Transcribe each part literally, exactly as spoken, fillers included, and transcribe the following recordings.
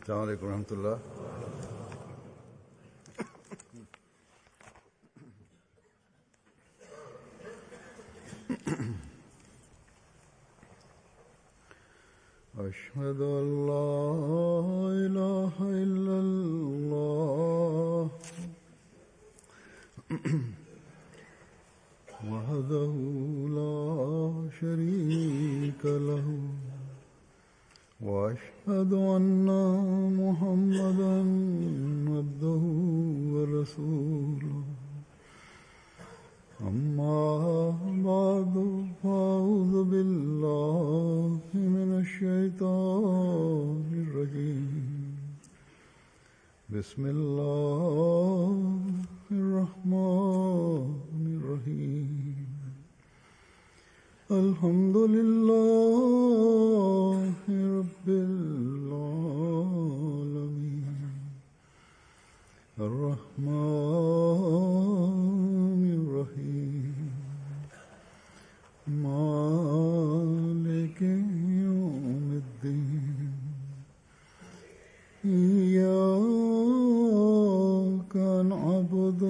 السلام عليكم ورحمة الله. أشهد أن لا إله إلا الله وحده لا شريك له وأشهد أن محمدا عبده ورسوله أما بعد فأعوذ بالله من الشيطان الرجيم بسم الله الرحمن الرحيم الحمد لله رب العالمين الرحمن الرحيم مالك يوم الدين إياك نعبد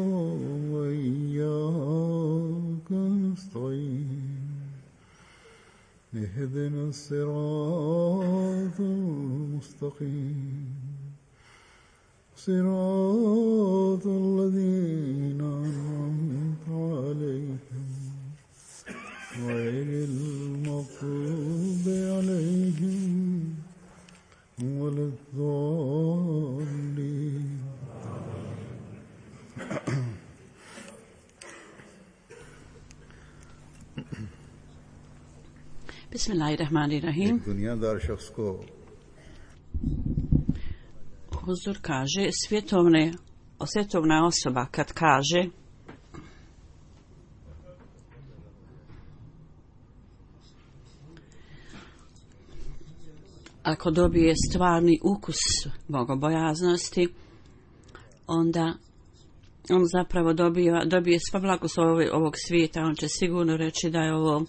وإياك نستعين اهدنا الصراط المستقيم صراط الذين أنعمت عليهم غير المغضوب عليهم ولا الضالين. Bismillahirrahmanirrahim. दुनियादार शख्स को Huzur kaže, svjetovne, svjetovna osoba kad kaže ako dobije stvarni ukus bogobojaznosti, onda on zapravo dobije, dobije sva blagoslova ovog svijeta. On će sigurno reći da je ovo,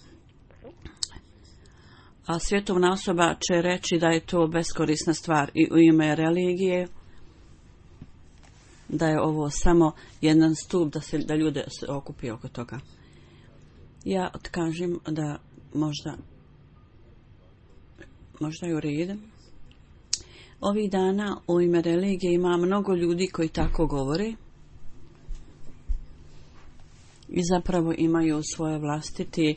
a svjetovna osoba će reći da je to beskorisna stvar i u ime religije, da je ovo samo jedan stup da se da ljude se okupi oko toga. Ja kažem da možda možda je u redu. Ovih dana u ime religije ima mnogo ljudi koji tako govore i zapravo imaju svoje vlastite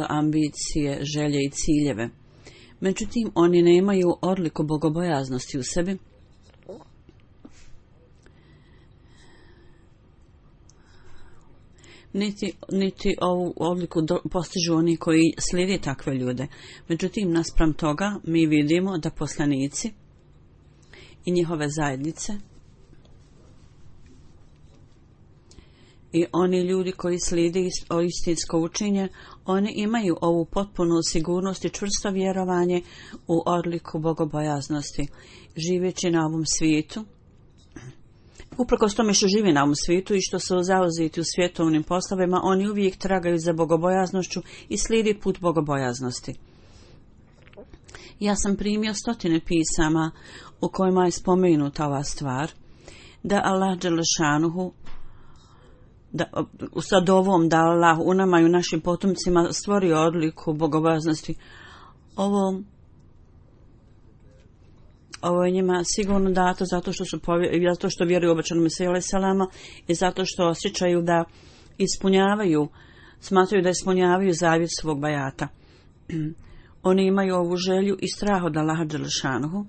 ambicije, želje i ciljeve. Međutim, oni nemaju odliku bogobojaznosti u sebi. Niti, niti ovu odliku do, postižu oni koji slijede takve ljude. Međutim, naspram toga mi vidimo da poslanici i njihove zajednice i oni ljudi koji slijede istinsko učenje, oni imaju ovu potpunu sigurnost i čvrsto vjerovanje u odliku bogobojaznosti. Živeći na ovom svijetu, uprkos tome što žive na ovom svijetu i što su zauzeti u svjetovnim poslovima, oni uvijek tragaju za bogobojaznošću i slijedi put bogobojaznosti. Ja sam primio stotine pisama u kojima je spomenuta ova stvar, da Allah dželešanuhu da sa dovom da Allah u nama i u našim potomcima stvorio odliku bogobojaznosti. Ovo ovo je njima sigurno dato zato što su povjer, zato što vjeruju obećanom Mesiju alejhi selama i zato što osjećaju da ispunjavaju, smatraju da ispunjavaju zavjet svog bajata. Oni imaju ovu želju i strah od Allaha dželešanuhu.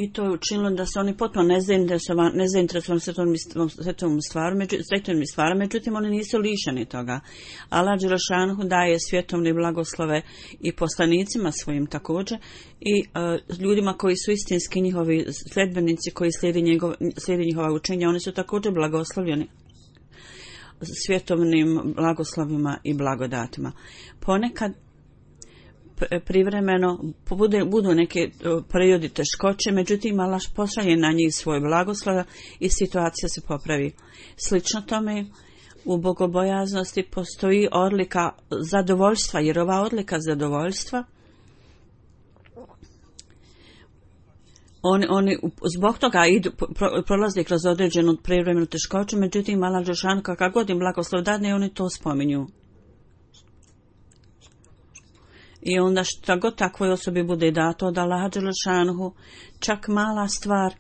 I to je učinilo da se oni potpuno nezainteresovani svetovnim stvarima, stvarima, međutim oni nisu lišeni toga. Allah dželešanuhu daje svjetovne blagoslove i poslanicima svojim također i uh, ljudima koji su istinski njihovi sledbenici koji slijedi, njegov, slijedi njihova učenja, oni su također blagoslovljeni svjetovnim blagoslovima i blagodatima. Ponekad privremeno bude, budu neke periodi teškoće, međutim Allah pošalje na njih svoj blagoslov i situacija se popravi. Slično tome, U bogobojaznosti postoji odlika zadovoljstva, jer ova odlika zadovoljstva Oni, oni zbog toga idu, pro, prolaze kroz određenu privremenu teškoću, međutim, Allah dželešanu kakav god im blagoslov dadne, oni to spominju. I onda šta god takvoj osobi bude dato od Allaha dželešanu, čak mala stvar,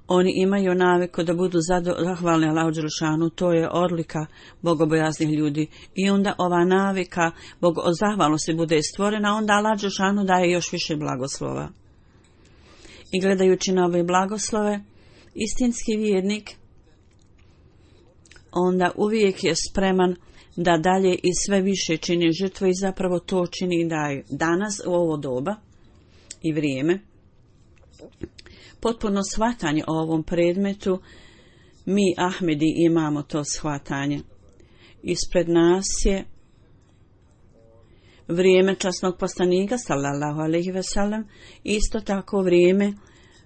oni imaju naviku da budu zahvalni Allahu dželešanu, to je odlika bogobojaznih ljudi. I onda ova navika bogo, zahvalnosti bude stvorena, onda Allah dželešanu daje još više blagoslova. I gledajući na ove blagoslove, istinski vjernik onda uvijek je spreman da dalje i sve više čini žrtve i zapravo to čini i daje. Danas u ovo doba i vrijeme potpuno shvatanje o ovom predmetu, mi Ahmedi imamo to shvatanje. Ispred nas je vrijeme časnog poslanika sallallahu alejhi ve sellem, isto tako vrijeme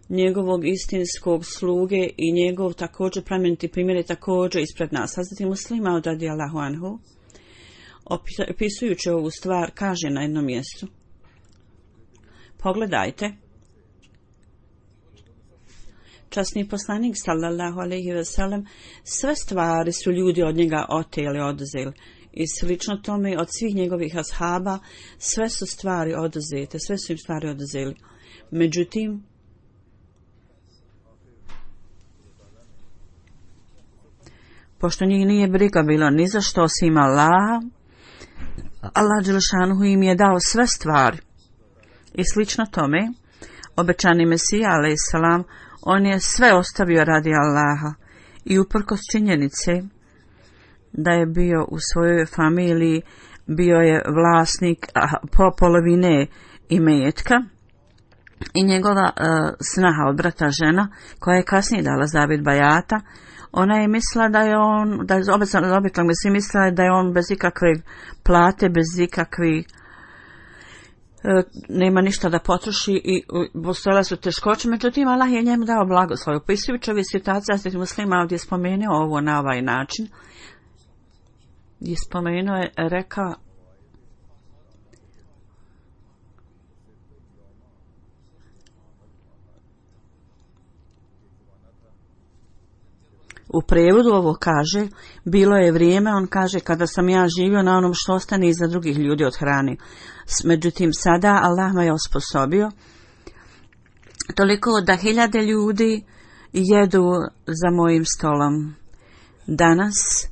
njegovog istinskog sluge i njegov također plemeniti primjer je također ispred nas. Hazreti Muslima radijallahu anhu, opisujući ovu stvar, kaže na jednom mjestu: pogledajte, časni poslanik sallallahu alejhi ve sellem, sve stvari su ljudi od njega oteli, oduzeli. I slično tome od svih njegovih ashaba sve su stvari oduzete, sve su im stvari oduzeli. Međutim, pošto njih nije briga bilo ni za što osim Allaha, Allah dželešanu im je dao sve stvari. I slično tome, obećani Mesija alejselam, on je sve ostavio radi Allaha i uprkos činjenice da je bio u svojoj familiji, bio je vlasnik po polovine imetka i njegova uh, snaha od brata žena, koja je kasnije dala zavjet bajata, ona je mislila da je on, da je obećan mi si mislila da je on bez ikakve plate, bez ikakvih uh, nema ništa da potroši i postojala su teškoće, međutim Allah je njemu dao blagoslov. Opisujući ove situacije, Hazreti Muslima ovdje spomenuo ovo na ovaj način, je spomenuo je, rekao u prevodu ovo kaže, bilo je vrijeme, on kaže, kada sam ja živio na onom što ostane iza drugih ljudi od hrane. Međutim, sada Allah me je osposobio toliko da hiljade ljudi jedu za mojim stolom. Danas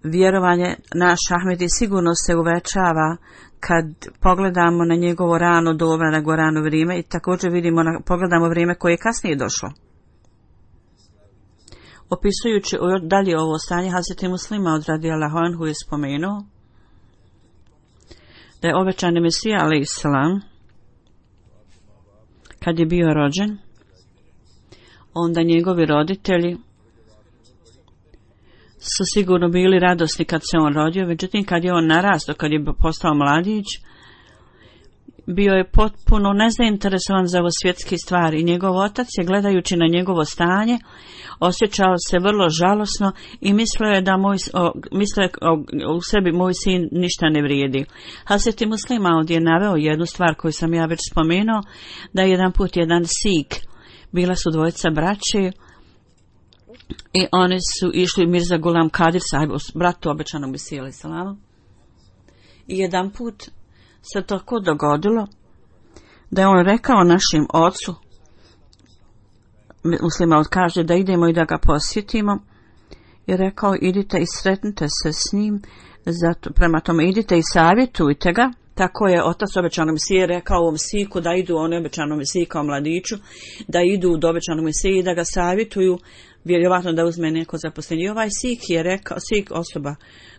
vjerovanje naš Ahmedi sigurno se uvećava kad pogledamo na njegovo rano doba, na njegovo rano vrijeme i također vidimo, na, pogledamo vrijeme koje je kasnije došlo. Opisujući dalje ovo stanje, Hazreti Muslima od radijallahu anhu je spomenuo da je obećani Mesija alejselam kad je bio rođen, onda njegovi roditelji su sigurno bili radosni kad se on rodio, međutim kad je on narastao, kad je postao mladić, bio je potpuno nezainteresovan za ovo svjetske stvari i njegov otac je, gledajući na njegovo stanje, osjećao se vrlo žalosno i mislio je da moj, o, mislio je o, u sebi moj sin ništa ne vrijedi. Hazreti Muslima ovdje je naveo jednu stvar koju sam ja već spomenuo, da je jedan put jedan Sik, bila su dvojica braće i oni su išli Mirza Gulam Kadir sahib, bratu obećanog Mesije alejselama. I jedan put se tako dogodilo da je on rekao našim ocu, Muslima kaže da idemo i da ga posjetimo, i rekao idite i sretnite se s njim, zato, prema tome idite i savjetujte ga. Tako je otac obećanog Mesije rekao ovom Siku da idu, on je obećanom Mesiji kao mladiću, da idu do obećanog Mesije i da ga savjetuju, vjerovatno da uzme neko zaposlenje. I ovaj Sik je rekao, Sik osoba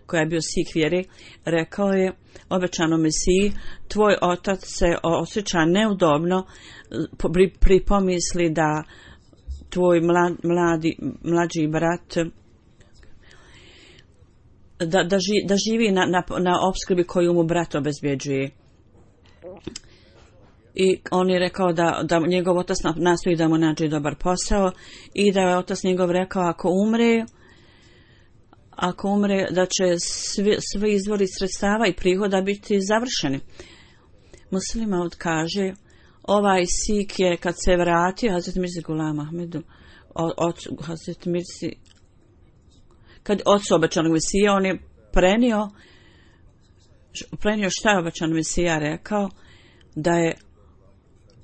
koja je bio Sik vjere, rekao je obećanom Mesiji, tvoj otac se osjeća neudobno pri, pri pomisli da tvoj mlad, mladi, mlađi brat da, da, ži, da živi na, na, na opskrbi koju mu brat obezbjeđuje. I on je rekao da, da njegov otac nastoji da mu nađe dobar posao i da je otac njegov rekao ako umre, ako umre da će svi, svi izvori sredstava i prihoda biti završeni. Muslima kaže, ovaj Sik je kad se vratio Hazret Mirzi Gulam Ahmedu, od Hazret Mirzi, kad ocu obećanog Mesija, on je prenio, prenio šta je obećan Mesija rekao, da je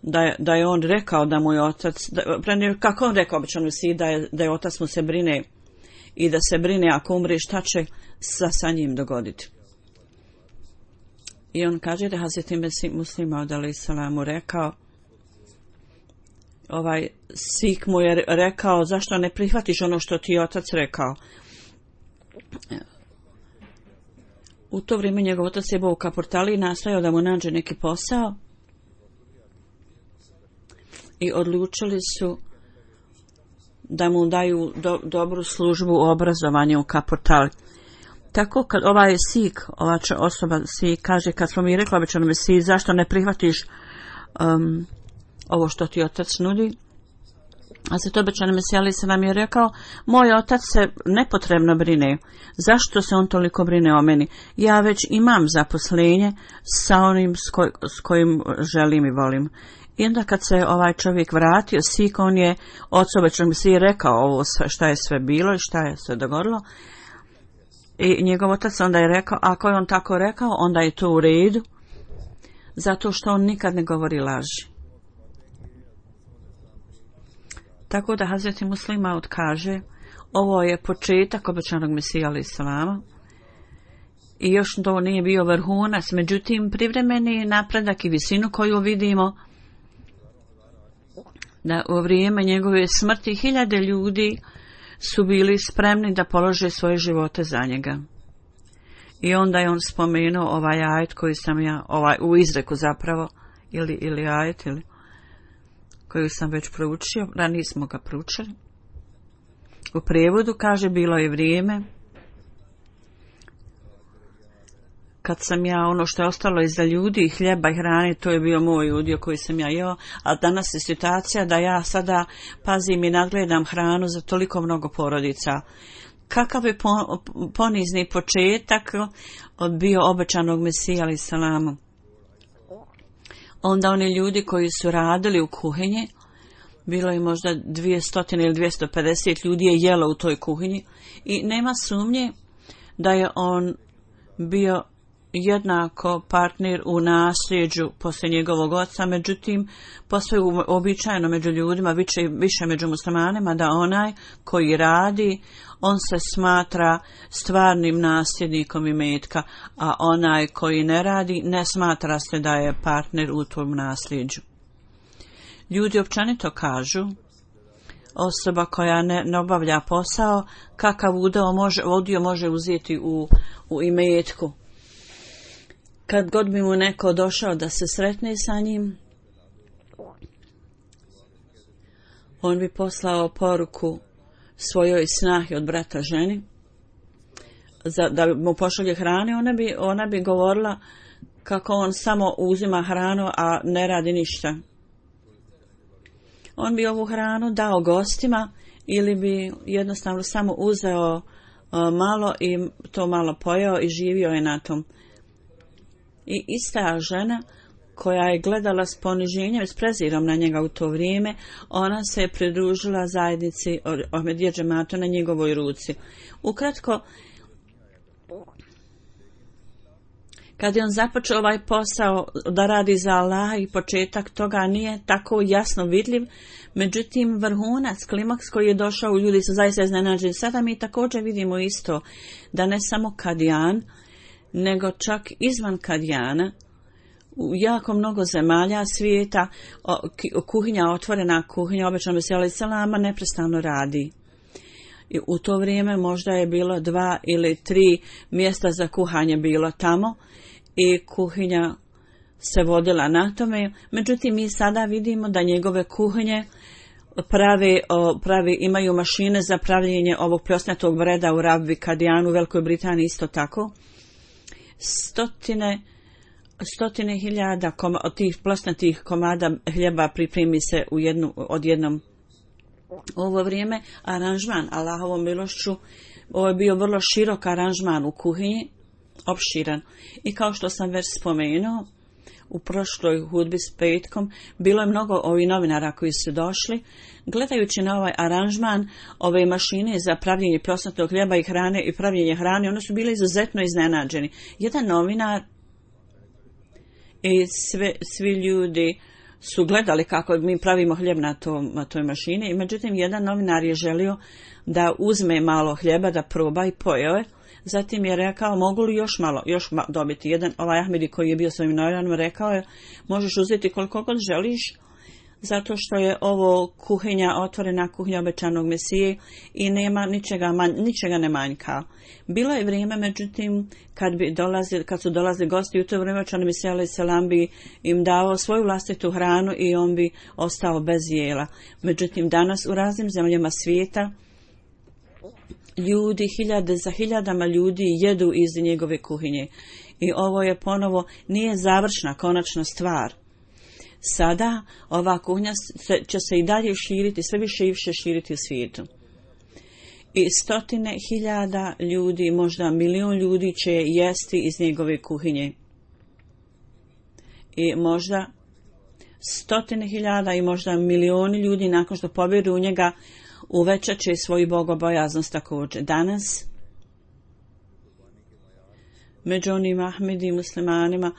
Da je, da je on rekao da mu je otac, da, prenio, kako on rekao obećan Mesiji, da je, da je otac mu se brine i da se brine ako umre šta će sa, sa njim dogoditi. I on kaže da Hazreti Muslima od alejhi salamu rekao, ovaj Sik mu je rekao, zašto ne prihvatiš ono što ti je otac rekao. U to vrijeme njegov otac je bio u Kapurtali i nastojao da mu nađe neki posao i odlučili su da mu daju do, dobru službu u obrazovanju u Kapurtali. Tako kad ovaj Sik, ova osoba Sik kaže, kad smo mi rekli obećanom Mesiji, zašto ne prihvatiš um, ovo što ti otac nudi, a se to obećanom Mesiji ali se nam je rekao, moj otac se nepotrebno brine, zašto se on toliko brine o meni, ja već imam zaposlenje sa onim s, koj, s kojim želim i volim. I onda kad se ovaj čovjek vratio, Sik, on je ocu obećanom Mesiji rekao ovo sve, šta je sve bilo i šta je sve dogodilo. I njegov otac onda je rekao, ako je on tako rekao, onda je to u redu, zato što on nikad ne govori laži. Tako da Hazreti Muslima kaže, ovo je početak obećanog Mesija alejhi selama i još to nije bio vrhunac, međutim privremeni napredak i visinu koju vidimo, da u vrijeme njegove smrti hiljade ljudi su bili spremni da polože svoje živote za njega. I onda je on spomenuo ovaj ajet koji sam ja, ovaj, u izreku zapravo, ili, ili ajet, ili, koju sam već proučio, ranije smo ga proučili. U prijevodu kaže, bilo je vrijeme kad sam ja ono što je ostalo iza ljudi, hljeba i hrane, to je bio moj udio koji sam ja jeo, a danas je situacija da ja sada pazim i nadgledam hranu za toliko mnogo porodica. Kakav je ponizni početak od bio obećanog Mesija alejhi selamu. Onda oni ljudi koji su radili u kuhinji, bilo je možda dvjesto ili dvjesto pedeset ljudi je jelo u toj kuhinji i nema sumnje da je on bio jednako partner u nasljeđu poslije njegovog oca, međutim posve uobičajeno među ljudima, više, više među muslimanima, da onaj koji radi, on se smatra stvarnim nasljednikom imetka, a onaj koji ne radi, ne smatra se da je partner u tom nasljeđu. Ljudi općenito kažu, osoba koja ne, ne obavlja posao, kakav udio može, udio može uzeti u, u imetku. Kad god bi mu neko došao da se sretne sa njim, on bi poslao poruku svojoj snahi od brata ženi, za, da mu pošalje hrane, ona bi, ona bi govorila kako on samo uzima hranu, a ne radi ništa. On bi ovu hranu dao gostima ili bi jednostavno samo uzeo uh, malo i to malo pojeo i živio je na tom. I ista žena koja je gledala s poniženjem i s prezirom na njega u to vrijeme, ona se je pridružila zajednici Ahmedija džemata na njegovoj ruci. Ukratko, kad je on započeo ovaj posao da radi za Allaha i početak toga nije tako jasno vidljiv, međutim vrhunac, klimaks koji je došao, ljudi su zaista iznenađeni. Sada mi također vidimo isto da ne samo Kadijan, nego čak izvan Kadijana, u jako mnogo zemalja svijeta, kuhinja, otvorena kuhinja, obećanog Mesija alejhi selama, neprestano radi. I u to vrijeme možda je bilo dva ili tri mjesta za kuhanje bilo tamo i kuhinja se vodila na tome. Međutim, mi sada vidimo da njegove kuhinje prave, prave, imaju mašine za pravljenje ovog plosnatog breda u Rabbi Kadijanu, u Velikoj Britaniji isto tako. Stotine, stotine hiljada koma, od tih plosnatih komada hljeba pripremi se u jednu, od jednom. U ovo vrijeme aranžman Allahovom milošću Ovo je bio vrlo širok aranžman u kuhinji, opširan. I kao što sam već spomenuo, u prošloj hudbi s petkom, bilo je mnogo ovih novinara koji su došli. Gledajući na ovaj aranžman, ove mašine za pravljenje plosnatog hljeba i hrane i pravljenje hrane, oni su bili izuzetno iznenađeni. Jedan novinar i sve, svi ljudi su gledali kako mi pravimo hljeb na, to, na toj mašini. I međutim, jedan novinar je želio da uzme malo hljeba, da proba i pojeo je. Zatim je rekao, mogu li još malo, još ma, dobiti. Jedan, ovaj Ahmedi koji je bio s ovim novinarom, rekao je, možeš uzeti koliko god želiš, zato što je ovo kuhinja, otvorena kuhinja obećanog Mesije i nema ničega, man, ničega ne manjka. Bilo je vrijeme, međutim, kad, bi dolazili, kad su dolazili gosti, u to vrijeme obećani Mesija alejhi selam bi im dao svoju vlastitu hranu i on bi ostao bez jela. Međutim, danas u raznim zemljama svijeta ljudi, hiljade za hiljadama ljudi jedu iz njegove kuhinje. I ovo je ponovo, nije završna, konačna stvar. Sada ova kuhinja će se i dalje širiti, sve više i više širiti u svijetu. I stotine hiljada ljudi, možda milion ljudi će jesti iz njegove kuhinje. I možda stotine hiljada i možda milioni ljudi nakon što pobjedu u njega uvećat će svoju bogobojaznost također. Danas, među onim Ahmedi muslimanima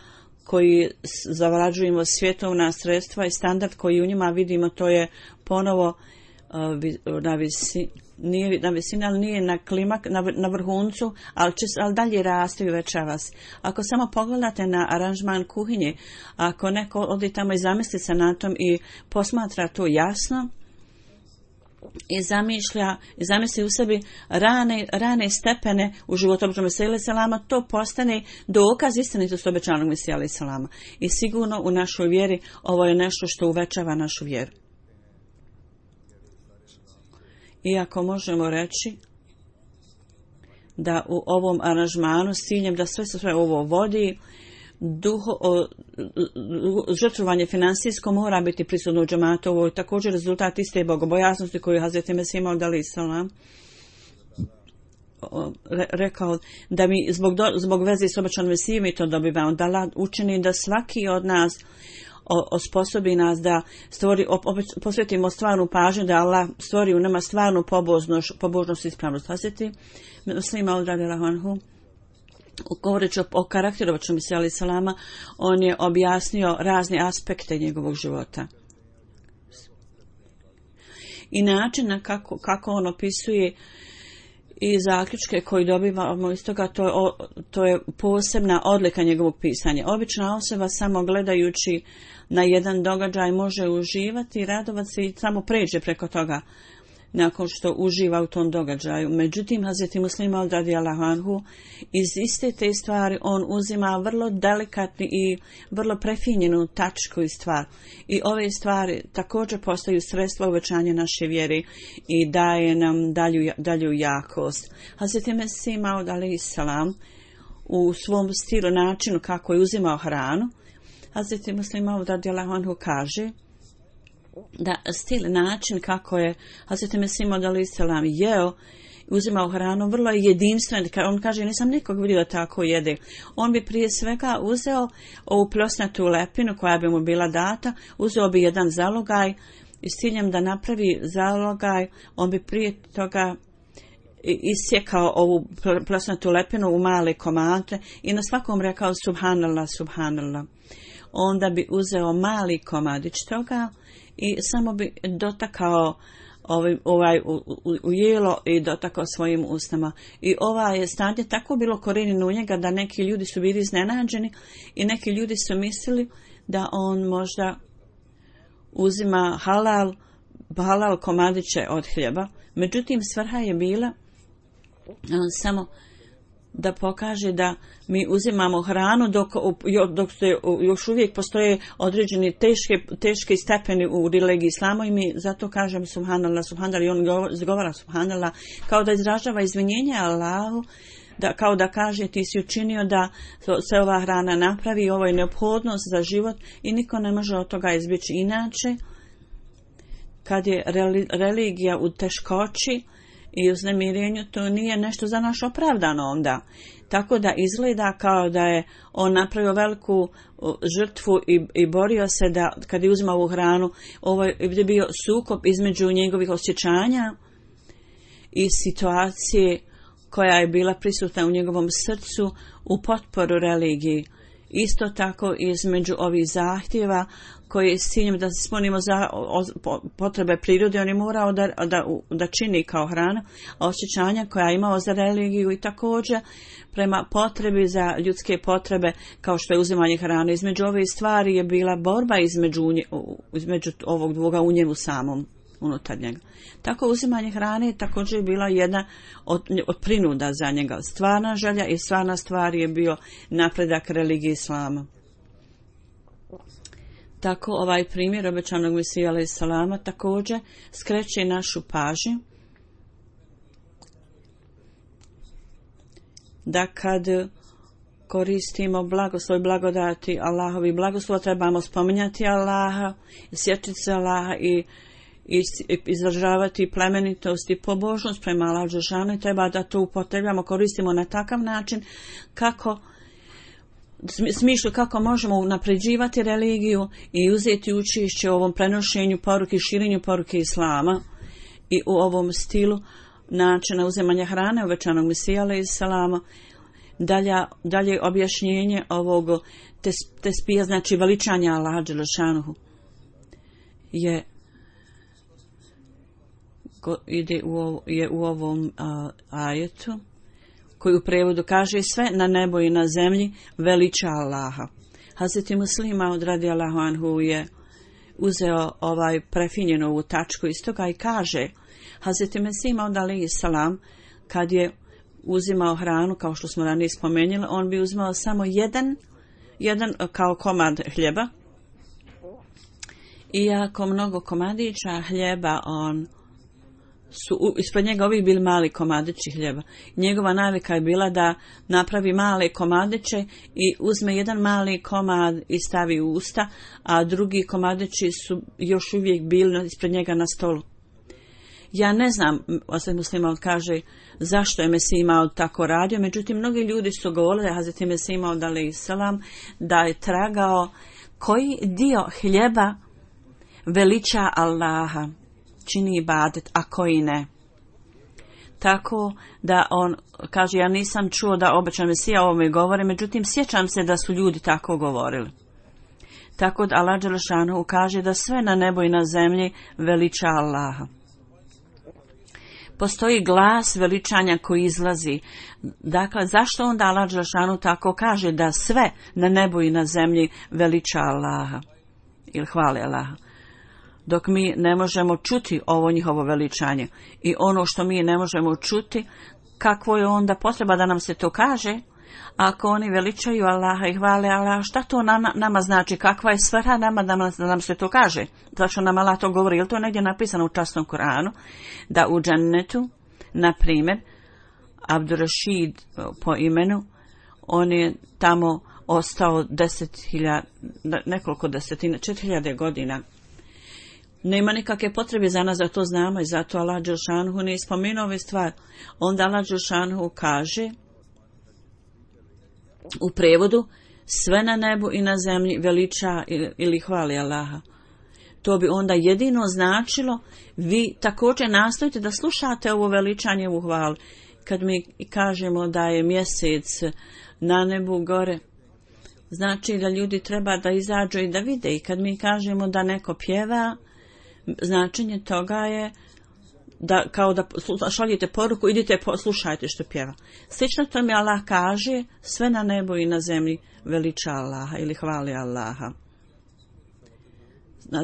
koji zavrađujemo svjetovna sredstva i standard koji u njima vidimo, to je ponovo uh, na visini, nije na visini, ali nije na klimak, na, na vrhuncu, ali, će, ali dalje raste i uvećava se. Ako samo pogledate na aranžman kuhinje, ako neko odi tamo i zamisli se na tom i posmatra to jasno, i zamišlja, i zamisli u sebi rane, rane stepene u životu obećanog Mesija alejhi selama, to postane dokaz istinitosti obećanog Mesija alejhi selama. I sigurno u našoj vjeri ovo je nešto što uvećava našu vjeru. Iako možemo reći da u ovom aranžmanu s ciljem da sve sve ovo vodi, duho, o, žrtvovanje finansijsko mora biti prisutno u džematu. Ovo je također rezultat iste bogobojaznosti koju je Hazreti Mesih Maud alejhi selam rekao da mi zbog, do, zbog veze s obećanim Mesijom mi to dobivamo, da Allah učini da svaki od nas o, osposobi nas da stvori, op, op, posvetimo stvarnu pažnju, da Allah stvori u nama stvarnu pobožnost, pobožnost i ispravnost. Hazreti Mesih Maud radijallahu govoreći o, o karakteru obećanog Mesija alejhi selama, on je objasnio razne aspekte njegovog života. I način na kako, kako on opisuje i zaključke koji dobivamo iz toga, to je, o, to je posebna odlika njegovog pisanja. Obična osoba samo gledajući na jedan događaj može uživati i radovati se i samo pređe preko toga nakon što uživa u tom događaju. Međutim, Hazreti Muslim Maud radijallahu anhu iz iste te stvari on uzima vrlo delikatni i vrlo prefinjenu tačku i stvar. I ove stvari također postaju sredstva uvećanja naše vjere i daje nam dalju, dalju jakost. Hazreti Mesih Maud alejhi selam u svom stilu, načinu kako je uzimao hranu, Hazreti Muslim Maud radijallahu anhu kaže da stil, način kako je Hazreti Mesih Maud alejhi selam jeo, uzimao hranu, vrlo je jedinstven. On kaže, nisam nikog vidio da tako jede. On bi prije svega uzeo ovu plosnatu lepinu koja bi mu bila data, uzeo bi jedan zalogaj i s ciljem da napravi zalogaj, on bi prije toga isjekao ovu plosnatu lepinu u male komade i na svakom rekao subhanallah, subhanallah. Onda bi uzeo mali komadić toga i samo bi dotakao ovaj, ovaj u, u, u jelo i dotakao svojim ustama. I ova je stanje tako bilo korenjeno u njega da neki ljudi su bili iznenađeni i neki ljudi su mislili da on možda uzima halal, halal komadiće od hljeba. Međutim, svrha je bila on samo da pokaže da mi uzimamo hranu dok, dok se još uvijek postoje određeni teške, teške stepeni u religiji islama i mi zato kažem subhanallah, subhanallah i on izgovara subhanallah kao da izražava izvinjenje Allahu, da, kao da kaže ti si učinio da se ova hrana napravi, ovo je neophodnost za život i niko ne može od toga izbjeći. Inače, kad je religija u teškoći i uznemirenju, to nije nešto za naš opravdano onda. Tako da izgleda kao da je on napravio veliku žrtvu i, i borio se da kad je uzimao ovu hranu, ovo je bio sukob između njegovih osjećanja i situacije koja je bila prisutna u njegovom srcu u potporu religiji. Isto tako između ovih zahtjeva koji s ciljem da ispunimo za o, o, potrebe prirode, on je morao da, da, da čini kao hrana, a osjećanja koja je imao za religiju i također prema potrebi za ljudske potrebe kao što je uzimanje hrane. Između ove stvari je bila borba između, između ovog dvoga u njemu samom unutar njega. Tako uzimanje hrane je također bila jedna od, od prinuda za njega. Stvarna želja i stvarna stvar je bio napredak religije islama. Tako ovaj primjer obećanog Mesija alejhi selama također skreće našu pažnju da kad koristimo blagoslov i blagodati Allahovi blagoslova trebamo spominjati Allaha, sjetiti se Allaha i i izražavati plemenitost i pobožnost prema Allahu dželešanu, treba da to upotrebljamo, koristimo na takav način kako smišlju kako možemo unapređivati religiju i uzeti učešće u ovom prenošenju poruke i širenju poruke islama i u ovom stilu načina uzimanja hrane obećanog Mesija alejhi selama. Dalje, dalje objašnjenje ovog tes, tespija, znači veličanja Allaha dželešanu je ide u, je u ovom a, ajetu koji u prevodu kaže sve na nebo i na zemlji veliča Allaha. Hazreti Muslima od radijallahu anhu je uzeo ovaj prefinjenu ovu tačku iz toga i kaže Hazreti Mesija od alejhi selam kad je uzimao hranu, kao što smo ranije spomenuli, on bi uzimao samo jedan, jedan kao komad hljeba. Iako mnogo komadića hljeba on su ispred njega ovih bili mali komadići hljeba. Njegova navika je bila da napravi male komadiće i uzme jedan mali komad i stavi u usta, a drugi komadići su još uvijek bili ispred njega na stolu. Ja ne znam, Hazreti Muslima kaže, zašto je Mesija imao tako radio, međutim, mnogi ljudi su govorili da Hazreti Mesija imao alejhi selam da je tragao koji dio hljeba veliča Allaha, čini ibadet, a koji ne. Tako da on kaže, ja nisam čuo da obećan Mesija o ovome govori, međutim, sjećam se da su ljudi tako govorili. Tako da Allah dželešanu kaže da sve na nebu i na zemlji veliča Allaha. Postoji glas veličanja koji izlazi. Dakle, zašto onda Allah dželešanu tako kaže da sve na nebu i na zemlji veliča Allaha ili hvali Allaha? Dok mi ne možemo čuti ovo njihovo veličanje i ono što mi ne možemo čuti, kakvo je onda potreba da nam se to kaže? Ako oni veličaju Allaha i hvale Allaha, šta to nama, nama znači? Kakva je svrha nama da nam, da nam se to kaže? Zašto nam Allah to govori? Je li to negdje napisano u časnom Kuranu? Da u džennetu, na primjer, Abdurrašid po imenu, on je tamo ostao deset hiljada, nekoliko desetina, četiri hiljade godina. Nema nikakve potrebe za nas da to znamo i zato Allah dželešanu ne spomenuo ove stvari. Onda Allah dželešanu kaže u prevodu sve na nebu i na zemlji veliča ili hvali Allaha. To bi onda jedino značilo vi također nastojite da slušate ovo veličanje u hvalu. Kad mi kažemo da je mjesec na nebu gore, znači da ljudi treba da izađu i da vide. I kad mi kažemo da neko pjeva, značenje toga je da kao da šaljete poruku, idite slušajte što pjeva. Slično to mi Allah kaže, sve na nebu i na zemlji veliča Allaha ili hvali Allaha.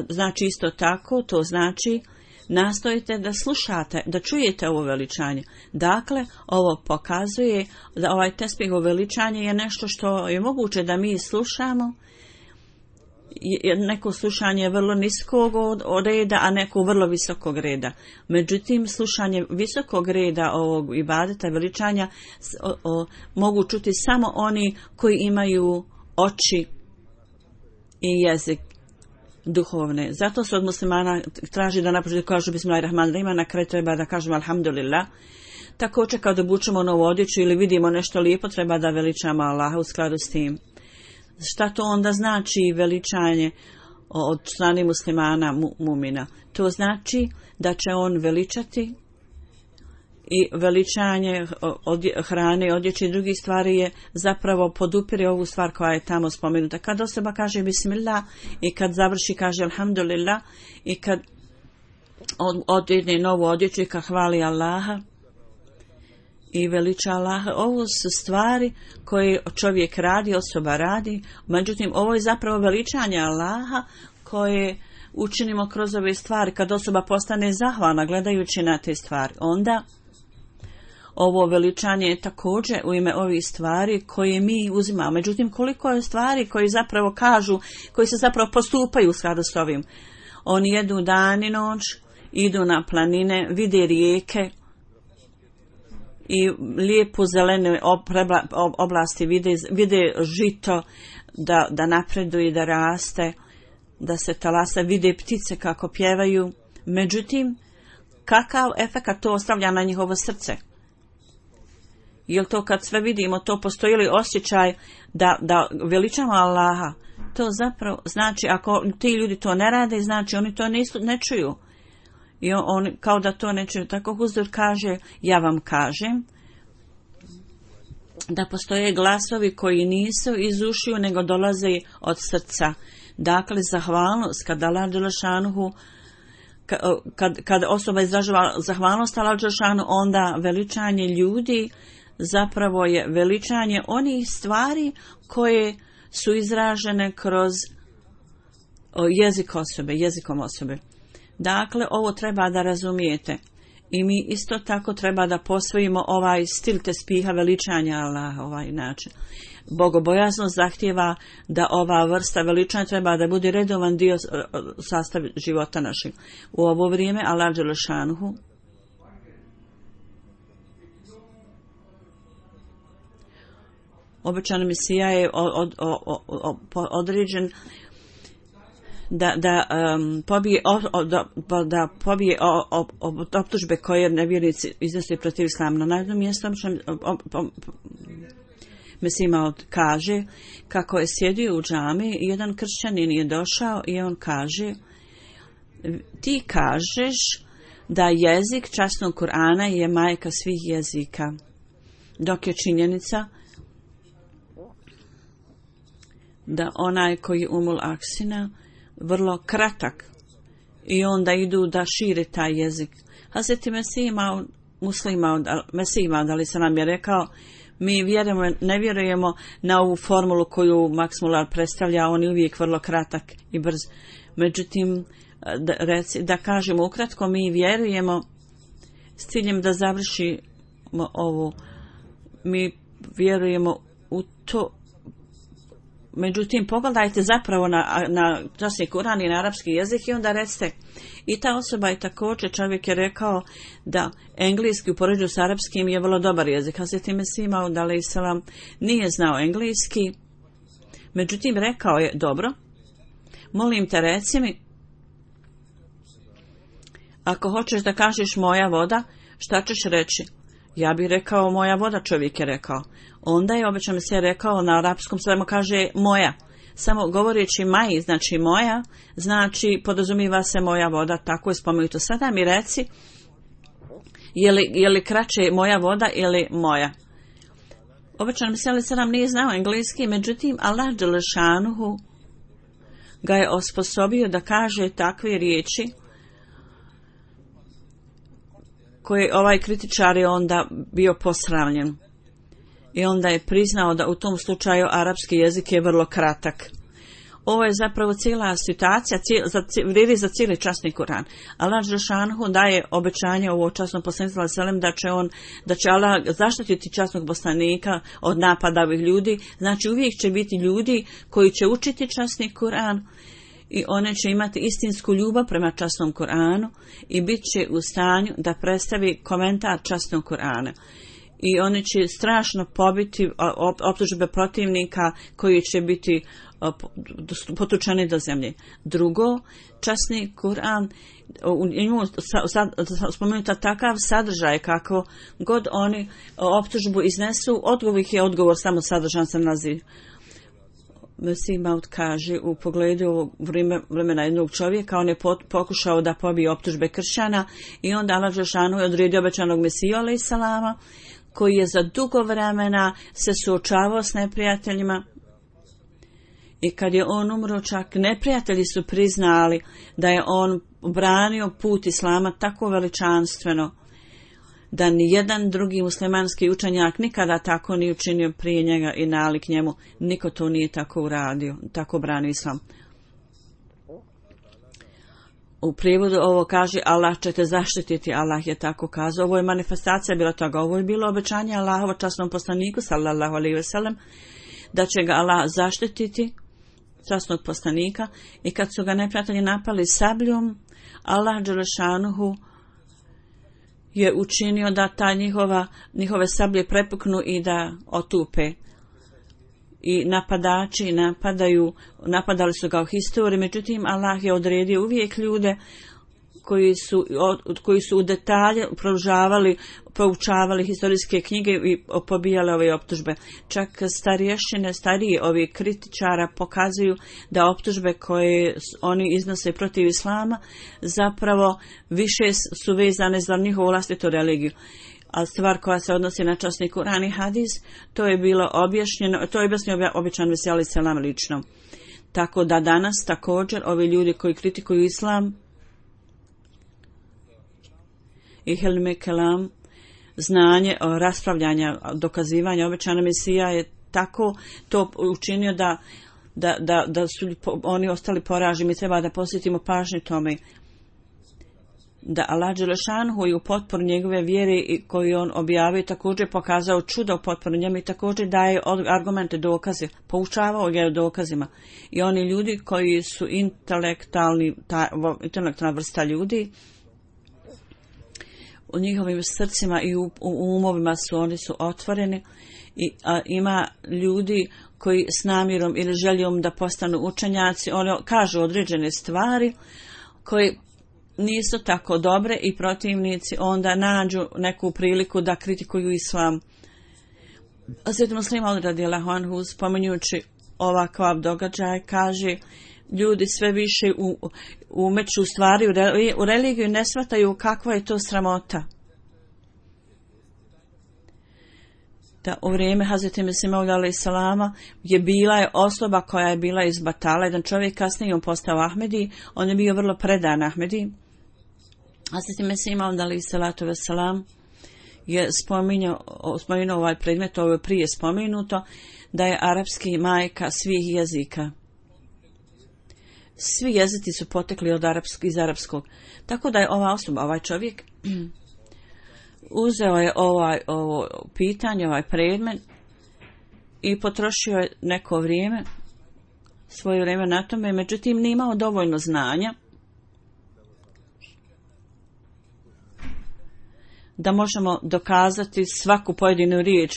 Znači isto tako, to znači nastojite da slušate, da čujete ovo veličanje. Dakle, ovo pokazuje da ovaj tespih veličanje je nešto što je moguće da mi slušamo. Neko slušanje je vrlo niskog reda, a neko vrlo visokog reda. Međutim, slušanje visokog reda ovog ibadeta veličanja o, o, mogu čuti samo oni koji imaju oči i jezik duhovne. Zato se od muslimana traži da napočetku kažu Bismillahirrahmanirrahim, na kraju treba da kažemo Alhamdulillah. Također kad obučemo novu odjeću ili vidimo nešto lijepo, treba da veličamo Allaha u skladu s tim. Šta to onda znači veličanje od strane muslimana mu, mumina? To znači da će on veličati i veličanje odje, hrane, odjeće i drugih stvari je zapravo podupire ovu stvar koja je tamo spomenuta. Kad osoba kaže Bismillah i kad završi kaže Alhamdulillah i kad od, odjedne novu odjeću i kad hvali Allaha i veliča Allaha, ovo su stvari koje čovjek radi, osoba radi, međutim ovo je zapravo veličanje Allaha koje učinimo kroz ove stvari. Kad osoba postane zahvalna gledajući na te stvari, onda ovo veličanje je također u ime ovih stvari koje mi uzimamo. Međutim, koliko je stvari koji zapravo kažu, koji se zapravo postupaju u skladu s ovim. Oni jedu dan i noć, idu na planine, vide rijeke i lijepo zelene oblasti, vide, vide žito da, da napreduje i da raste, da se talasa, vide ptice kako pjevaju. Međutim, kakav efekat to ostavlja na njihovo srce? Jel to kad sve vidimo, to postoji li osjećaj da, da veličamo Allaha? To zapravo znači, ako ti ljudi to ne rade, znači oni to nisu, ne čuju. I on, on kao da to ne čuju. Tako Huzur kaže, ja vam kažem, da postoje glasovi koji nisu iz ušiju, nego dolaze od srca. Dakle, zahvalnost, kad Allah dželešanuhu, kad, kad osoba izražava zahvalnost Allah dželešanuhu, onda veličanje ljudi zapravo je veličanje onih stvari koje su izražene kroz jezik osobe, jezikom osobe. Dakle, ovo treba da razumijete. I mi isto tako treba da posvojimo ovaj stil tespiha veličanja Allaha, ovaj način. Bogobojaznost zahtijeva da ova vrsta veličanja treba da bude redovan dio sastav života našeg. U ovo vrijeme Allah dželešanuhu obećani Mesija je od, od, od, određen da, da um, pobije, o, da, da pobije o, o, o, optužbe koje nevjernici iznose protiv islama. Na jednom mjestu Mesija kaže kako je sjedio u džami i jedan kršćanin je došao i on kaže, ti kažeš da jezik časnog Kur'ana je majka svih jezika, dok je činjenica da onaj koji umul aksina vrlo kratak i onda idu da šire taj jezik. Hazreti Mesija muslima, Mesija da li se nam je rekao, mi vjerujemo, ne vjerujemo na ovu formulu koju Max Muller predstavlja, on je uvijek vrlo kratak i brz. Međutim, da, reci, da kažemo ukratko, mi vjerujemo s ciljem da završimo ovu, mi vjerujemo u to. Međutim, pogledajte zapravo na, na časni Kur'an i na arapski jezik i onda recite. I ta osoba je također, čovjek je rekao da engleski u poređenju s arapskim je vrlo dobar jezik. Hazreti Mesih Maud alejselam nije znao engleski. Međutim, rekao je, dobro, molim te reci mi, ako hoćeš da kažeš moja voda, šta ćeš reći? Ja bih rekao moja voda, čovjek je rekao. Onda je obično mi se rekao na arapskom, samo kaže moja. Samo govoreći maji, znači moja, znači podozumiva se moja voda, tako je spomenuto. Sada mi reci, je li, je li kraće moja voda ili moja? Obično mi se sedam nije znao engleski, međutim Allah dželešanuhu ga je osposobio da kaže takve riječi koje ovaj kritičar je onda bio posravljen. I onda je priznao da u tom slučaju arapski jezik je vrlo kratak. Ovo je zapravo cijela situacija, cijel, za, vrijedi za cijeli časni Kur'an. Allah dželešanuhu daje obećanje ovo časnom poslaniku selem da će on, da će Allah zaštititi časnog poslanika od napada ovih ljudi. Znači uvijek će biti ljudi koji će učiti časni Kur'an i one će imati istinsku ljubav prema časnom Kur'anu i bit će u stanju da predstavi komentar časnog Kur'ana. I oni će strašno pobiti optužbe protivnika koji će biti potučeni do zemlje. Drugo, časni Kur'an, u njemu spomenuta takav sadržaj kako god oni optužbu iznesu, odgovor je odgovor, samo sadržan se nalazi. Mesih Maud kaže u pogledu ovog vremena jednog čovjeka, on je pokušao da pobije optužbe kršćana i onda Allah dželešanu je odredio obećanog Mesiju alejhi selama, koji je za dugo vremena se suočavao s neprijateljima. I kad je on umro, čak neprijatelji su priznali da je on branio put Islama tako veličanstveno da ni jedan drugi muslimanski učenjak nikada tako nije učinio prije njega i nalik njemu. Niko to nije tako uradio, tako branio Islam. U prijevodu ovo kaže Allah će te zaštititi, Allah je tako kazao. Ovo je manifestacija bila toga, ovo je bilo obećanje Allahovo časnom poslaniku sallallahu alejhi ve sellem da će ga Allah zaštititi, časnog poslanika, i kad su ga neprijatelji napali sabljom, Allah dželešanuhu je učinio da ta njihova, njihove sablje prepuknu i da otupe. I napadači napadaju, napadali su ga u historiji, međutim Allah je odredio uvijek ljude koji su, od, koji su u detalje proučavali, proučavali historijske knjige i pobijali ove optužbe. Čak starješine, starije ovi kritičara pokazuju da optužbe koje oni iznose protiv Islama zapravo više su vezane za njihovu vlastitu religiju. A stvar koja se odnosi na časni Kur'an i hadis, to je bilo objašnjeno, to je objasnio običan Mesih alejhi selam lično. Tako da danas također ovi ljudi koji kritikuju Islam i Helme Kelam, znanje o raspravljanja, dokazivanja obećana Mesija je tako to učinio da, da, da, da su oni ostali poraženi. Mi treba da posjetimo pažnju tome da Allah dželešanuhu i u potporu njegove vjere i koju on objavio također pokazao čuda u potporu njemu i također daje argumente, dokaze, poučavao ga dokazima. I oni ljudi koji su intelektualni, ta, intelektualna vrsta ljudi, u njihovim srcima i u, u umovima su oni su otvoreni i a, ima ljudi koji s namjerom ili željom da postanu učenjaci, oni kažu određene stvari koji nisu tako dobre i protivnici onda nađu neku priliku da kritikuju Islam. Sveti Muslim Maud radijallahu anhu spominjući ovakav događaj kaže ljudi sve više u, umeću stvari u, re, u religiju ne shvataju kakva je to sramota. Da u vrijeme Hazreti Mesih Maud alejhi selama je bila je osoba koja je bila iz Batala, jedan čovjek, kasnije on postao Ahmedi, on je bio vrlo predan Ahmedi. Hazreti Mesih Maud alejhi salatu vesselam je spominjao, spominjao ovaj predmet, ovo je prije spomenuto, da je arapski majka svih jezika. Svi jezici su potekli od arapskog, iz arapskog. Tako da je ova osoba, ovaj čovjek, uzeo je ovaj, ovo pitanje, ovaj predmet i potrošio je neko vrijeme, svoje vrijeme na tome, međutim nije imao dovoljno znanja da možemo dokazati svaku pojedinu riječ,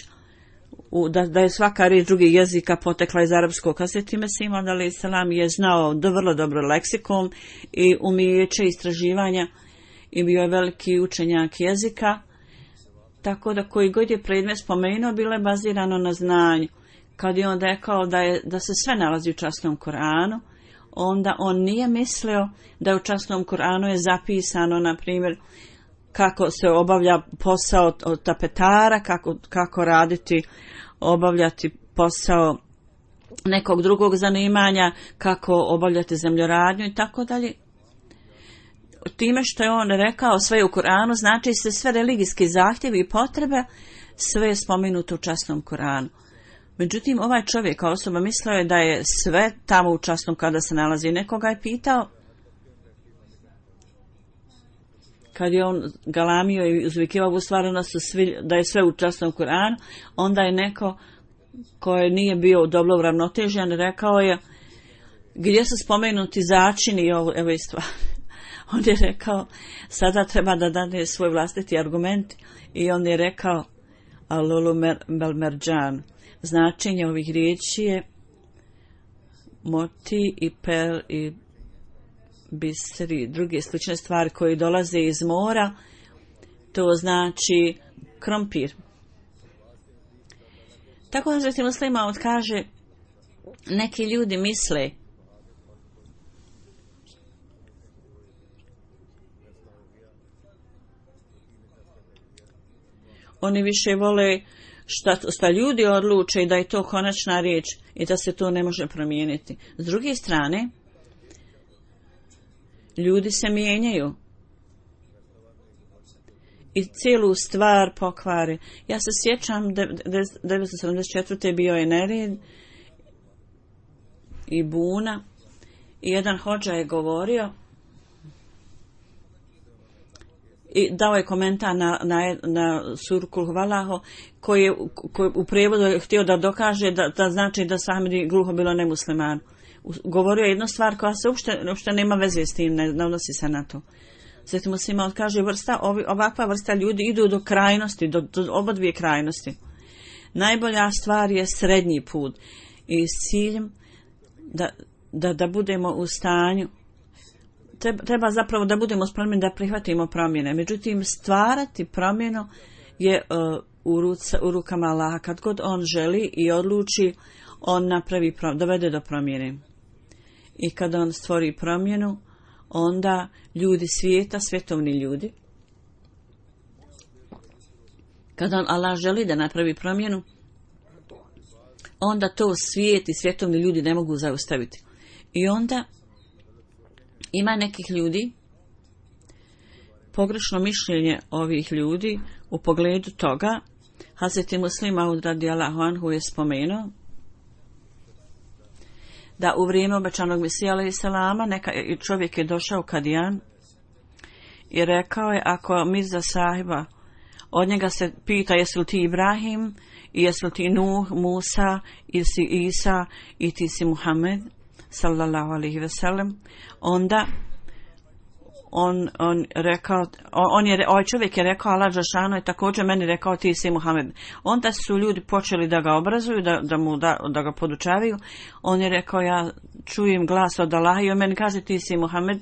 da, da je svaka riječ drugih jezika potekla iz arapskog. Hazreti Mesih Maud alejhi selam je znao do vrlo dobro leksikon i umijeće istraživanja i bio je veliki učenjak jezika, tako da koji god je predmet spomenuo bilo je bazirano na znanju. Kad je on rekao da, je, da se sve nalazi u časnom Kur'anu, onda on nije mislio da u časnom Kur'anu je zapisano, na primjer, kako se obavlja posao od tapetara, kako, kako raditi, obavljati posao nekog drugog zanimanja, kako obavljati zemljoradnju i tako dalje. Time što je on rekao sve u Kur'anu, znači se sve religijski zahtjevi i potrebe, sve je spomenuto u časnom Kur'anu. Međutim, ovaj čovjek, osoba, mislio je da je sve tamo u časnom kada se nalazi. Nekoga je pitao, kad je on galamio i uzvikivao u stvari da je sve u časnom Kur'anu, onda je neko koji nije bio dobro uravnotežen rekao je, gdje su spomenuti začini i ovo, evo i stvari. On je rekao, sada treba da dane svoj vlastiti argument i on je rekao, alulu mer, bel merđan, značenje ovih riječi je moti i pel i bisri, druge slične stvari koje dolaze iz mora, to znači krompir. Tako da Hazreti Muslima kaže, neki ljudi misle oni više vole šta, šta ljudi odluče i da je to konačna riječ i da se to ne može promijeniti. S druge strane, ljudi se mijenjaju i cijelu stvar pokvari. Ja se sjećam, devetsto sedamdeset četvrte bio je nered i buna i jedan hodža je govorio i dao je komentar na, na, na suru Kul Huvallahu koji je koji u prijevodu je htio da dokaže da, da znači da Ahmedi gluho bilo nemusliman. Govorio je jednu stvar koja se uopšte, uopšte nema veze s tim, ne, ne odnosi se na to. Sveti Muslima kaže, vrsta, ovi, ovakva vrsta ljudi idu do krajnosti, do, do oba dvije krajnosti. Najbolja stvar je srednji put i s ciljem da, da, da budemo u stanju, treba, treba zapravo da budemo spremni da prihvatimo promjene. Međutim, stvarati promjenu je uh, u, ruca, u rukama Allaha. Kad god on želi i odluči, on napravi, dovede do promjene. I kada on stvori promjenu, onda ljudi svijeta, svjetovni ljudi, kada on Allah želi da napravi promjenu, onda to svijet i svjetovni ljudi ne mogu zaustaviti. I onda ima nekih ljudi, pogrešno mišljenje ovih ljudi u pogledu toga, Hazreti Muslim Maud radijallahu anhu je spomenuo da u vrijeme obećanog Mesija alejhi selama neka čovjek je došao Kadijan i rekao je, ako Mirza sahiba od njega se pita jesi li ti Ibrahim i jesi li ti Nuh, Musa ili si Isa i ti si Muhammed sallallahu alejhi ve sellem, onda on on rekao on je ovaj čovjek je rekao, Allah dželešanu je također meni rekao ti si Muhammed. Onda su ljudi počeli da ga obrazuju, da, da mu da, da ga podučavaju. On je rekao, ja čujem glas od Allaha i on meni kaže ti si Muhammed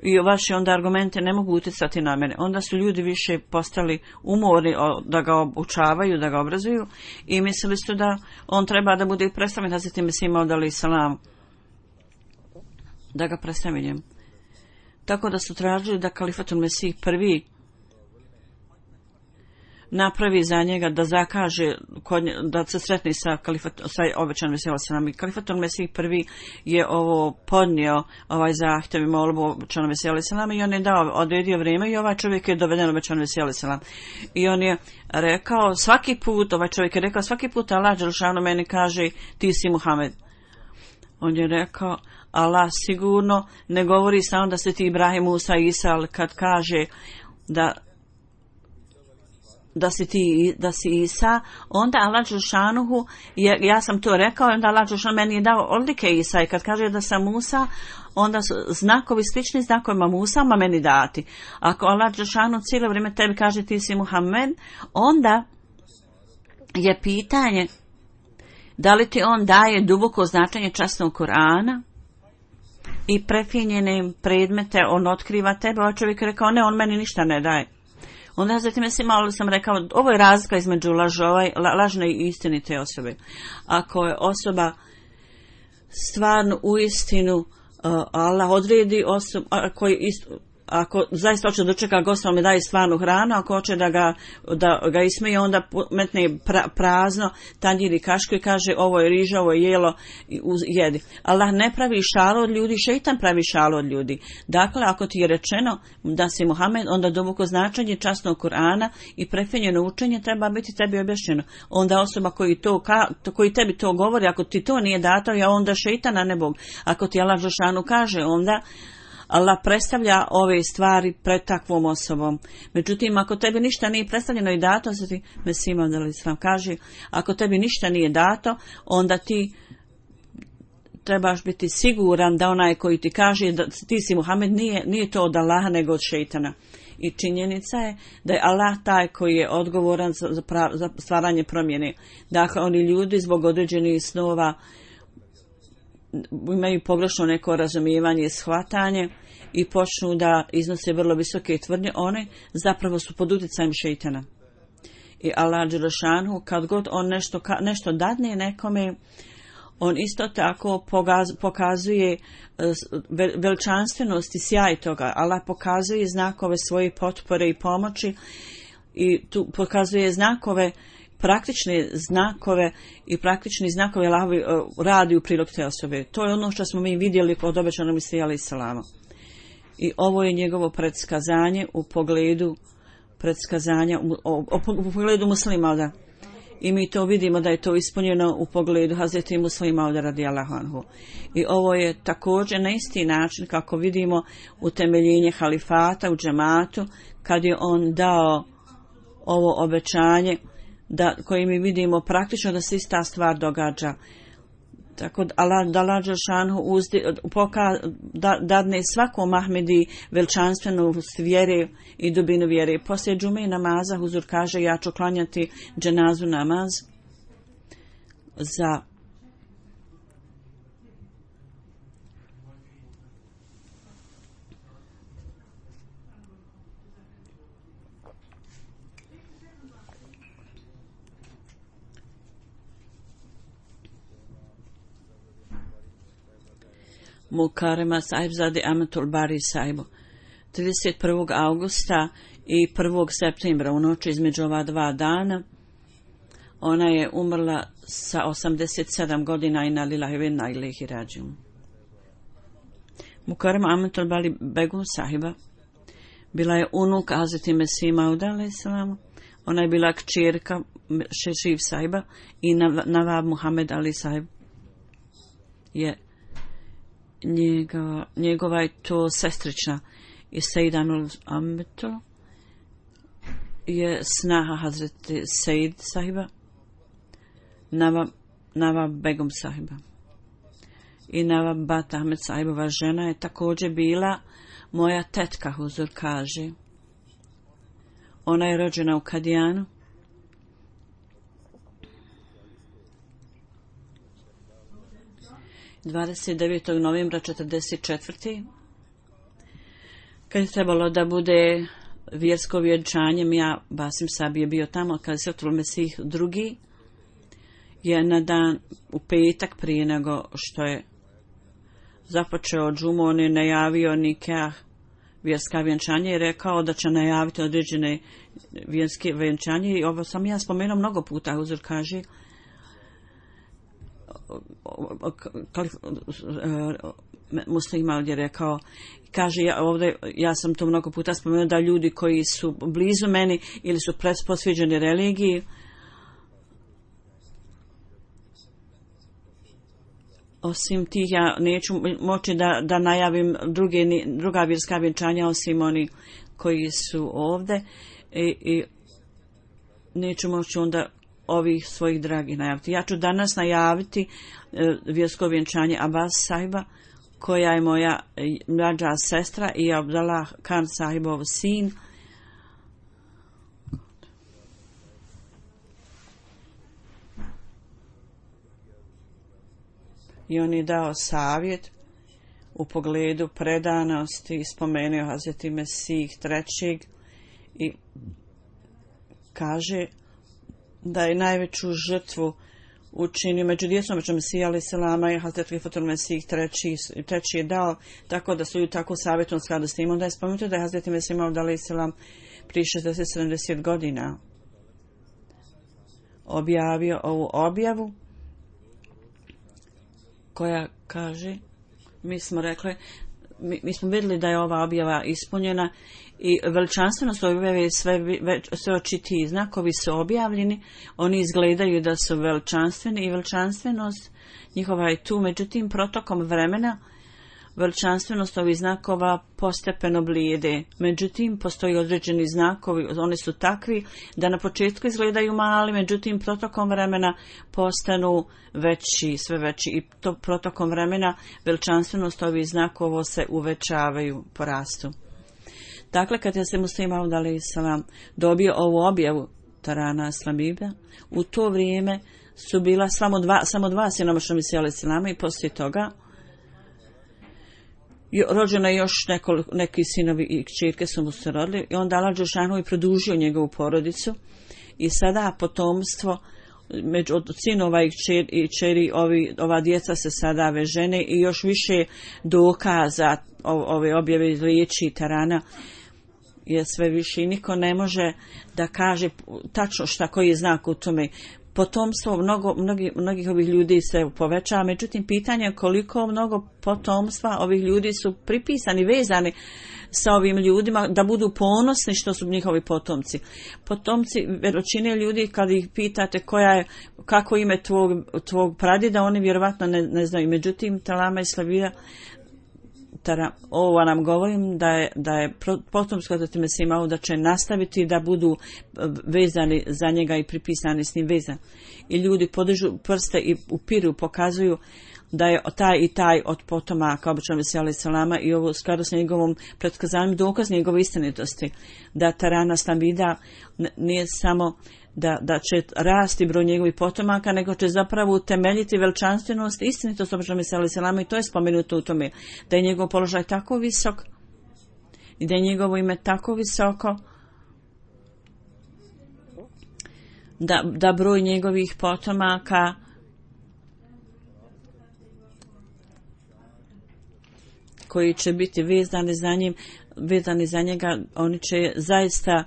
i vaše onda argumente ne mogu utjecati na mene. Onda su ljudi više postali umorni da ga obučavaju, da ga obrazuju i mislili su da on treba da bude predstavljen Hazreti Mesih Maud alejhi selam, da ga predstavljen. Tako da su tražili da Kalifatul Mesih prvi napravi za njega, da zakaže, da se sretni sa, kalifat, sa obećanim Mesihom alejhi selam. I Kalifatul Mesih prvi je ovo podnio, ovaj zahtjev i molbu obećanom Mesihom alejhi selam i on je dao, odredio vrijeme i ovaj čovjek je doveden obećanom Mesihom alejhi selam. I on je rekao, svaki put, ovaj čovjek je rekao, svaki put Allah dželešanu meni kaže, ti si Muhammed. On je rekao, Allah sigurno ne govori samo da se ti Ibrahim, Musa i Isa, ali kad kaže da da si ti da si Isa, onda Allah dželešanu, ja sam to rekao, onda Allah dželešanu meni je dao odlike Isa i kad kaže da sam Musa, onda su znakovi slični znakovima Musa, ma meni dati. Ako Allah dželešanu cijelo vrijeme tebi kaže ti si Muhammed, onda je pitanje da li ti on daje duboko značenje časnog Kur'ana i prefinjene predmete, on otkriva tebe. Ovaj čovjek je rekao, ne, on meni ništa ne daje. Onda zatim sam malo sam rekao, ovo je razlika između lažova, lažne i istinite osobe. Ako je osoba stvarno u istinu, uh, Allah odredi osobu, koji istu, ako zaista hoće dočeka gosta, on mi daje stvarnu hranu, ako hoće da ga, da ga ismeje, onda metne pra, prazno tanjir i kašku i kaže ovo je riža, ovo je jelo, jedi. Allah ne pravi šalu od ljudi, šeitan pravi šalu od ljudi. Dakle, ako ti je rečeno da si Muhammed, onda duboko značenje časnog Kur'ana i prefinjeno učenje treba biti tebi objašnjeno. Onda osoba koji, to, koji tebi to govori, ako ti to nije dato, ja onda šeitan, a ne Bog. Ako ti Allah dželešanu kaže, onda Allah predstavlja ove stvari pred takvom osobom. Međutim, ako tebi ništa nije predstavljeno i dato, znači Mesih Maud alejhi selam kaže, ako tebi ništa nije dato, onda ti trebaš biti siguran da onaj koji ti kaže da ti si Muhammed nije, nije to od Allaha nego od šejtana. I činjenica je da je Allah taj koji je odgovoran za, za, za stvaranje promjene. Dakle, oni ljudi zbog određenih snova imaju pogrešno neko razumijevanje i shvatanje i počnu da iznose vrlo visoke tvrdnje, one zapravo su pod utjecajem šeitana. I Allah dželešanu, kad god on nešto, nešto dadne nekome, on isto tako pokazuje veličanstvenost i sjaj toga. Allah pokazuje znakove svoje potpore i pomoći i tu pokazuje znakove, praktične znakove i praktični znakove Allahovi radi u prilog te osobe. To je ono što smo mi vidjeli kod obećanog Mesija alejhi selama. I ovo je njegovo predskazanje u pogledu predskazanja u, u, u pogledu muslima, da. I mi to vidimo da je to ispunjeno u pogledu Hazreti Muslima radijallahu anhu. I ovo je također na isti način kako vidimo utemeljenje halifata u džematu, kad je on dao ovo obećanje da, koji mi vidimo praktično da se ista stvar događa. Tako da Allah dželešanu da, dadne svakom Ahmedi veličanstvenost vjere i dubinu vjere. Poslije džume i namaza huzur kaže, ja ću klanjati dženazu namaz za Mukarema Sahibzade Amatul Bari Sahibu. trideset prvog augusta i prvog septembra u noći između ova dva dana ona je umrla sa osamdeset sedam godina i na lillahi ve inna ilaihi rađiun. Mukarema Amatul Bari Begum Sahiba bila je unuk Hazreti Mesih Mauda alejhi selam. Ona je bila kćerka Šešiv Sahiba i Nawab Muhammed Ali Sahib je Njega, njegova je to sestrična i Sejdanul Ambeto je snaha Hazreti Sejid Sahiba, Nava, Nava Begum Sahiba. I Nava Bat Ahmed Sahibova žena je također bila moja tetka, huzur kaže. Ona je rođena u Kadijanu. dvadeset devetog novembra četrdeset četvrte kad je trebalo da bude vjersko vjenčanje, ja Basim Sabi je bio tamo, kad se otvoril Mesih drugi je na dan u petak prije nego što je započeo džumu, on je najavio nikah vjerska vjenčanje i rekao da će najaviti određene vjerske vjenčanje i ovo sam ja spomenuo mnogo puta, huzur kaže. Muslima ovdje rekao, kaže ja, ovdje, ja sam to mnogo puta spomenuo da ljudi koji su blizu meni ili su posveđeni religiji osim tih ja neću moći da, da najavim druge, druga vjerska vjenčanja osim oni koji su ovdje i, i neću moći onda ovih svojih dragih najaviti. Ja ću danas najaviti e, vjersko vjenčanje Abbas Sahiba, koja je moja mlađa sestra i Abdallah Khan Sahibov sin. I on je dao savjet u pogledu predanosti i spomenuo Hazreti Mesih trećeg i kaže da je najveću žrtvu učinio među djecom među Mesija alejhi selama i Hazreti Fatul Mesih treći, treći je dao, tako da su ju tako savjetom skladu s tim. Onda je spomenuto da je Hazreti Mesih alejhi selam prije šezdeset sedamdeset godina objavio ovu objavu koja kaže, mi smo rekli, mi, mi smo vidjeli da je ova objava ispunjena i veličanstvenost objave sve, sve očitiji znakovi su objavljeni, oni izgledaju da su veličanstveni i veličanstvenost njihova je tu, međutim protokom vremena veličanstvenost ovih znakova postepeno blijede. Međutim, postoji određeni znakovi, oni su takvi da na početku izgledaju mali, međutim, protokom vremena postanu veći, sve veći i to protokom vremena veličanstvenost ovih znakova se uvećavaju, porastu. Dakle, kad je se Muslima alejhi selam dobio ovu objavu Tarana Aslamiba, u to vrijeme su bila samo dva, samo dva sinomašna Mesija alejhi selama i poslije toga rođeno je još nekoliko, neki sinovi i kćerke su mu se rodili i onda Allah dželešanu i produžio njegovu porodicu i sada potomstvo među od sinova i kćeri, i kćeri ovi, ova djeca se sada vežene i još više dokaza ove objave riječi Tarana je sve više i niko ne može da kaže tačno šta koji je znak u tome. Potomstvo mnogo, mnogi, mnogih ovih ljudi se povećava, međutim pitanje je koliko mnogo potomstva ovih ljudi su pripisani, vezani sa ovim ljudima da budu ponosni što su njihovi potomci. Potomci većine ljudi kad ih pitate koja je, kako ime tvog, tvog pradjeda, oni vjerovatno ne, ne znaju. Međutim, Talama i Slavija ovo nam govorim da je, da je potomsko da time se imao da će nastaviti da budu vezani za njega i pripisani s njim vezan. I ljudi podižu prste i upiru, pokazuju da je taj i taj od potomaka obično Mesija alejhi selama i ovo skladu s njegovom pretkazanjem dokaz njegove istinitosti. Da Tarana Slavida nije samo da, da će rasti broj njegovih potomaka, nego će zapravo utemeljiti veličanstvenost i istinitost obično Mesija alejhi selama i to je spomenuto u tome. Da je njegov položaj tako visok i da je njegovo ime tako visoko da, da broj njegovih potomaka koji će biti vezani za njim, vezani za njega, oni će zaista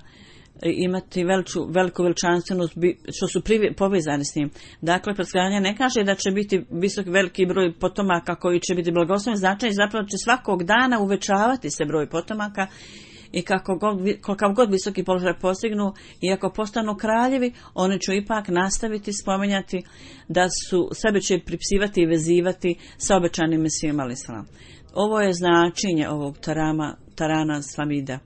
imati veliču, veliku veličanstvenost što su privi, povezani s njim. Dakle, predskazanje ne kaže da će biti visok veliki broj potomaka koji će biti blagosloveni, znači zapravo će svakog dana uvećavati se broj potomaka i kako god, kakav god visoki položaj postignu i ako postanu kraljevi, oni će ipak nastaviti spominjati da su sebe će pripisivati i vezivati sa obećanim Mesijom alejhi selam. Ovo je značenje ovog tarama, Tarana Slavida.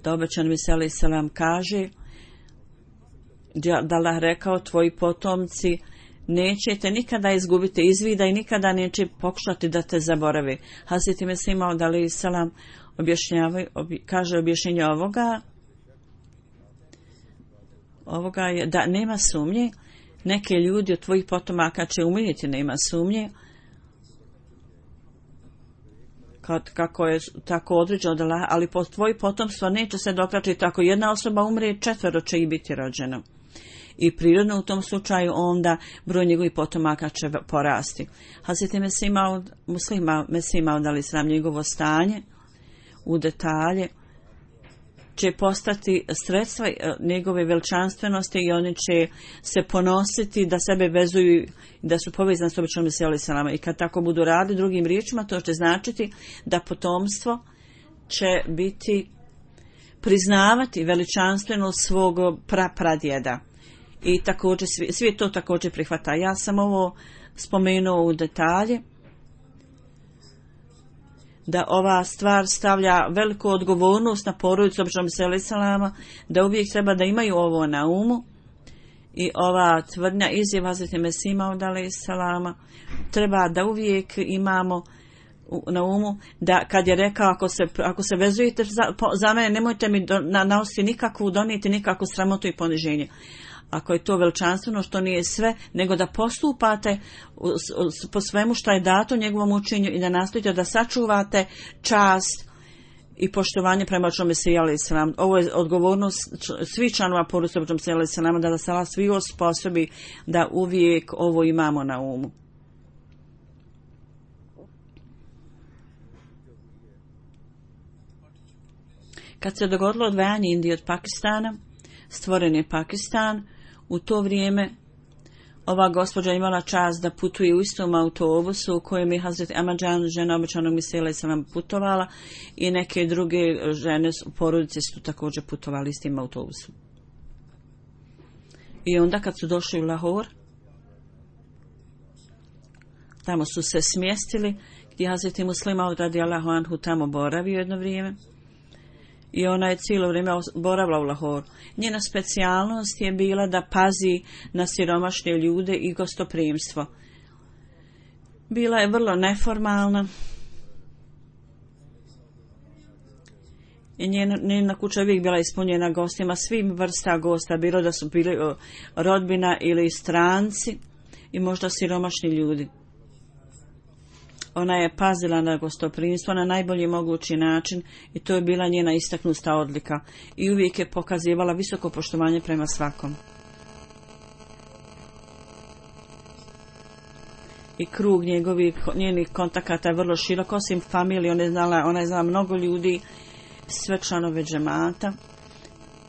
Da obećan Mesija alejhi selam kaže da Allah rekao tvoji potomci nećete nikada izgubiti iz vida i nikada neće pokušati da te zaborave. Hazreti Mesija alejhi selam objašnjava, obje, kaže objašnjenje ovoga ovoga je da nema sumnje, neke ljudi od tvojih potomaka će umrijeti, nema sumnje, kad, kako je tako određeno da Allah, ali po tvoji potomstvo neće se dokračiti, ako jedna osoba umre, četvero će ih biti rođeno. I prirodno u tom slučaju onda broj njegovih potomaka će porasti. Hazreti Mesija muslima Mesija alejhi selam njegovo stanje u detalje će postati sredstva njegove veličanstvenosti i oni će se ponositi da sebe vezuju, da su povezani s običnom Mesijom alejhi selam. I kad tako budu radili, drugim riječima, to će značiti da potomstvo će biti priznavati veličanstvenost svog prapradjeda. I također, svi, svi to također prihvata. Ja sam ovo spomenuo u detalje, da ova stvar stavlja veliku odgovornost na porodicu običnom Mesija alejhi selam, da uvijek treba da imaju ovo na umu i ova tvrdnja izjava Hazreti Mesija alejhi selam treba da uvijek imamo na umu da kad je rekao ako se, ako se vezujete za, za mene nemojte mi do, na, nanositi nikakvu, donijeti nikakvu sramotu i poniženje. Ako je to veličanstveno, što nije sve, nego da postupate po svemu što je dato njegovom učenju i da nastojite da sačuvate čast i poštovanje prema običnom Mesiji alejhi selam. Ovo je odgovornost svih članova porodice običnog Mesija alejhi selam, da nas Allah svi osposobi da uvijek ovo imamo na umu. Kad se dogodilo odvajanje Indije od Pakistana, stvoren je Pakistan. U to vrijeme ova gospođa imala čast da putuje u istom autobusu u kojem je Hazreti Ahmadžan, žena običanog Mesije alejhi selam, putovala i neke druge žene u porodici su također putovali istim autobusom. I onda kad su došli u Lahor, tamo su se smjestili, gdje Hazreti Muslima radijallahu anhu tamo boravio jedno vrijeme. I ona je cijelo vrijeme boravila u Lahoru. Njena specijalnost je bila da pazi na siromašne ljude i gostoprimstvo. Bila je vrlo neformalna. I njena, njena kuća je uvijek bila ispunjena gostima, svim vrsta gosta, bilo da su bili rodbina ili stranci i možda siromašni ljudi. Ona je pazila na gostoprimstvo na najbolji mogući način i to je bila njena istaknuta odlika i uvijek je pokazivala visoko poštovanje prema svakom. I krug njegovih, njenih kontakata je vrlo širok, osim familije, ona je znala, ona je znala mnogo ljudi, sve članove džemata,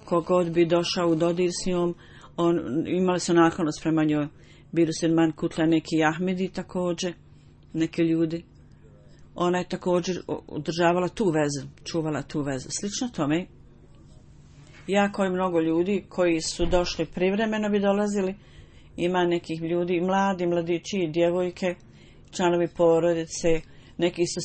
kogod bi došao u dodir s njom, on, imali su naklonost prema njoj. Biruselman Kutla, neki Ahmedi također, neki ljudi. Ona je također održavala tu vezu, čuvala tu vezu. Slično tome, jako je mnogo ljudi koji su došli privremeno bi dolazili, ima nekih ljudi, mladi, mladići, djevojke, članovi porodice, neki su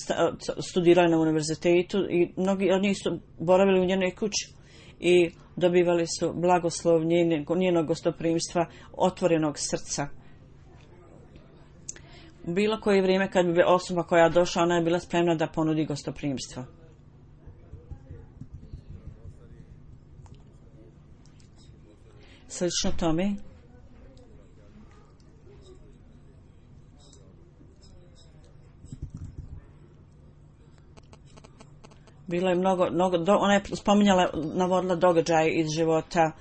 studirali na univerzitetu i mnogi od njih su boravili u njenoj kući i dobivali su blagoslov njenog gostoprimstva, otvorenog srca. Bilo koje vrijeme kad bi osoba koja došla, ona je bila spremna da ponudi gostoprimstvo. Slično tome, bilo je mnogo, mnogo do, ona je spominjala, navodila događaje iz života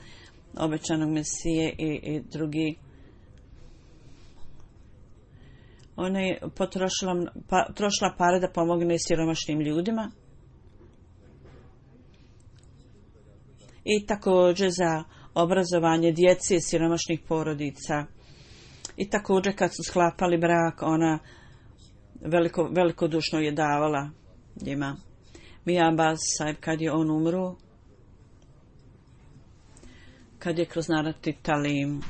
obećanog Mesije i, i drugi. Ona je potrošila pa, trošila pare da pomogne siromašnim ljudima i također za obrazovanje djece siromašnih porodica. I također kad su sklapali brak, ona veliko, velikodušno je davala njima. Mija Abbas Sahib, kad je on umro, kad je kroz narati Talim,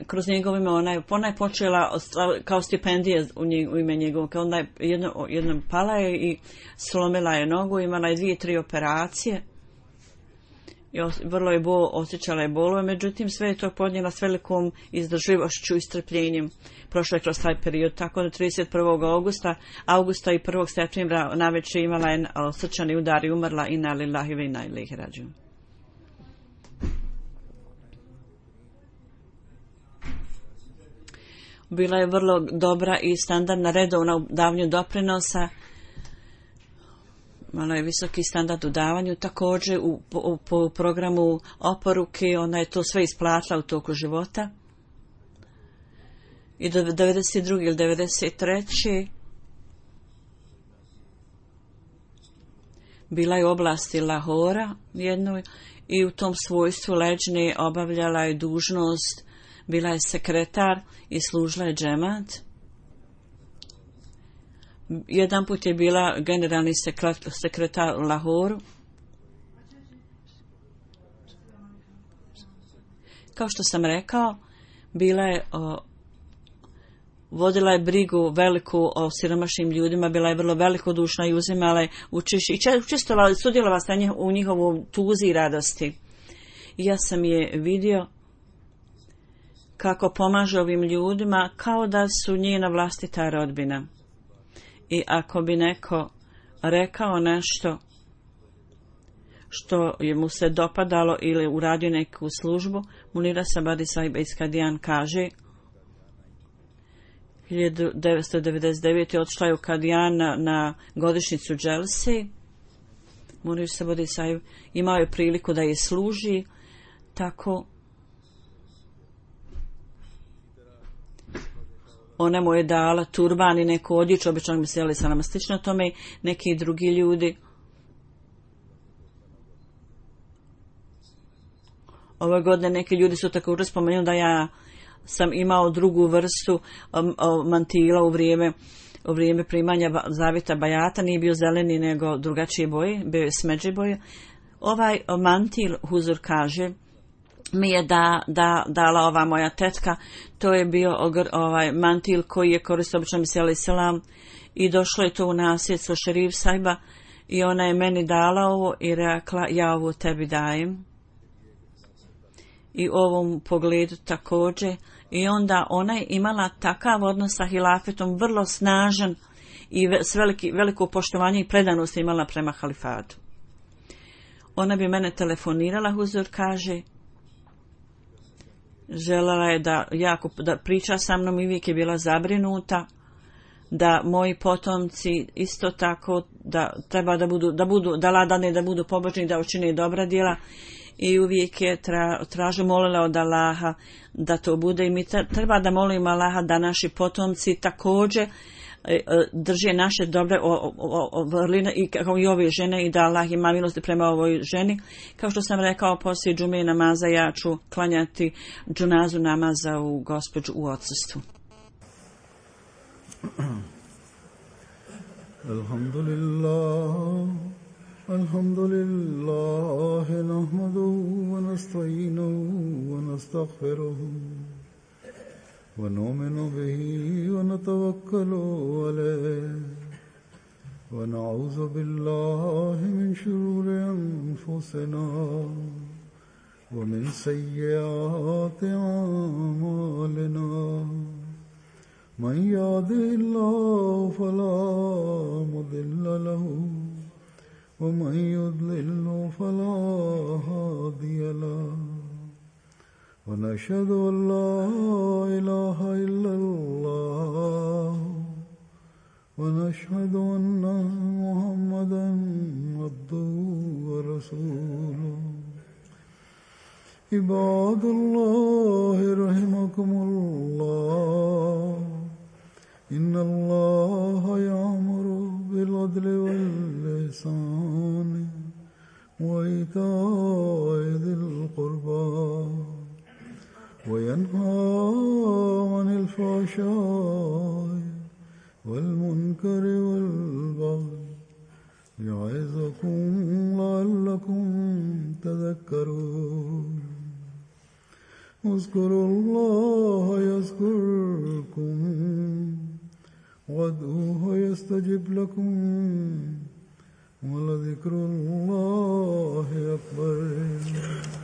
kroz njegov ime ona je, ona je počela kao stipendije u, njeg, u ime njegovom, kao ona je jedno, jednom pala je i slomila je nogu, imala je dvije, tri operacije i os, vrlo je bol, osjećala je bolove, međutim sve je to podnijela s velikom izdržljivošću i strpljenjem. Prošlo je kroz taj period, tako da trideset prvog augusta, augusta i prvog septembra navečer imala je srčani udar i umrla inna lillahi ve inna ilaihi rađiun. Bila je vrlo dobra i standardna redovna u davanju doprinosa. Malo je visoki standard u davanju. Također u, u, po programu oporuke ona je to sve isplatila u toku života. I do devedeset druge ili devedeset treće bila je u oblasti Lahora jednoj i u tom svojstvu leđne obavljala je dužnost, bila je sekretar i služila je džemat. Jedan put je bila generalni sekretar u Lahoru. Kao što sam rekao, bila je o, vodila je brigu veliku o siromašnim ljudima, bila je vrlo velikodušna i uzimala je učešće i učestvovala, sudjelovala sa njih u njihovom tuzi i radosti. I ja sam je vidio kako pomaže ovim ljudima kao da su njena vlastita rodbina. I ako bi neko rekao nešto što je mu se dopadalo ili uradio neku službu, Munira Sabadi Sahib iz Kadijan kaže, hiljadu devetsto devedeset devete. odšla je u Kadijan na, na godišnjicu Dželse. Munir Sabadi Sahib imao je priliku da je služi, tako ona mu je dala turban i neku odjeću, obično mi se jeli sa nama slično tome, neki drugi ljudi. Ove godine neki ljudi su također spomenuli da ja sam imao drugu vrstu um, um, mantila u vrijeme, u vrijeme primanja zavjeta bajata, nije bio zeleni nego drugačije boje, bio je smeđe boje. Ovaj mantil, Huzur kaže, mi je da, da, dala ova moja tetka, to je bio ogr, ovaj mantil koji je koristio obično miseli selam i došlo je to u nasljedstvo Šerif Sahiba i ona je meni dala ovo i rekla ja ovo tebi dajem. I u ovom pogledu također i onda ona je imala takav odnos sa hilafetom vrlo snažan i s veliki, veliko poštovanje i predanost imala prema halifatu. Ona bi mene telefonirala, Huzur kaže, željela je da jako da priča sa mnom i uvijek je bila zabrinuta da moji potomci isto tako da treba da budu, da budu, da ladane, da budu pobožni, da učine dobra djela. I uvijek je tra, tražu molila od Allaha da to bude i mi treba da molimo Allaha da naši potomci također drže naše dobre vrline i kao i ove žene i da Allah ima milosti prema ovoj ženi. Kao što sam rekao, poslije džume namaza ja ću klanjati džunazu namaza u gospođu u odsustvu. Alhamdulillah, alhamdulillah, nahmaduhu wa nasta'inuhu wa nastaghfiruhu. ونؤمن به ونتوكل عليه ونعوذ بالله من شرور أنفسنا ومن سيئات أعمالنا من يهده الله فلا مضل له ومن يضلل فلا هادي له ونشهد أن لا إله إلا الله ونشهد أن محمدا عبده ورسوله عباد الله رحمكم الله إن الله يأمر بالعدل والإحسان وإيتاء ذي القربى وينهى عن الفحشاء والمنكر والبغي يعظكم لعلكم تذكرون اذكروا الله يذكركم وادعوه يستجب لكم ولذكر الله أكبر.